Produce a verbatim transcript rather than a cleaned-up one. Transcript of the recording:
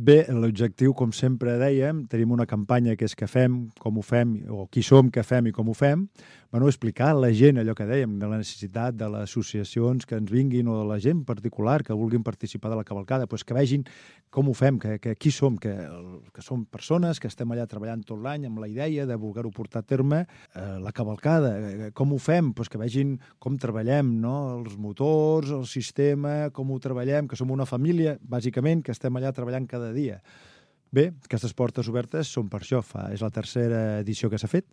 Bé, l'objectiu, com sempre dèiem, tenim una campanya que és què fem, com ho fem, o qui som, què fem i com ho fem. Bueno, explicar a la gent allò que dèiem, de la necessitat de les associacions que ens vinguin o de la gent particular que vulguin participar de la cavalcada, doncs que vegin com ho fem, que, que qui som, que, que som persones que estem allà treballant tot l'any amb la idea de voler-ho portar a terme. Eh, la cavalcada, eh, com ho fem? Doncs que vegin com treballem, no? Els motors, el sistema, com ho treballem, que som una família, bàsicament, que estem allà treballant cada dia. Bé, aquestes portes obertes són per això. Fa, és la tercera edició que s'ha fet.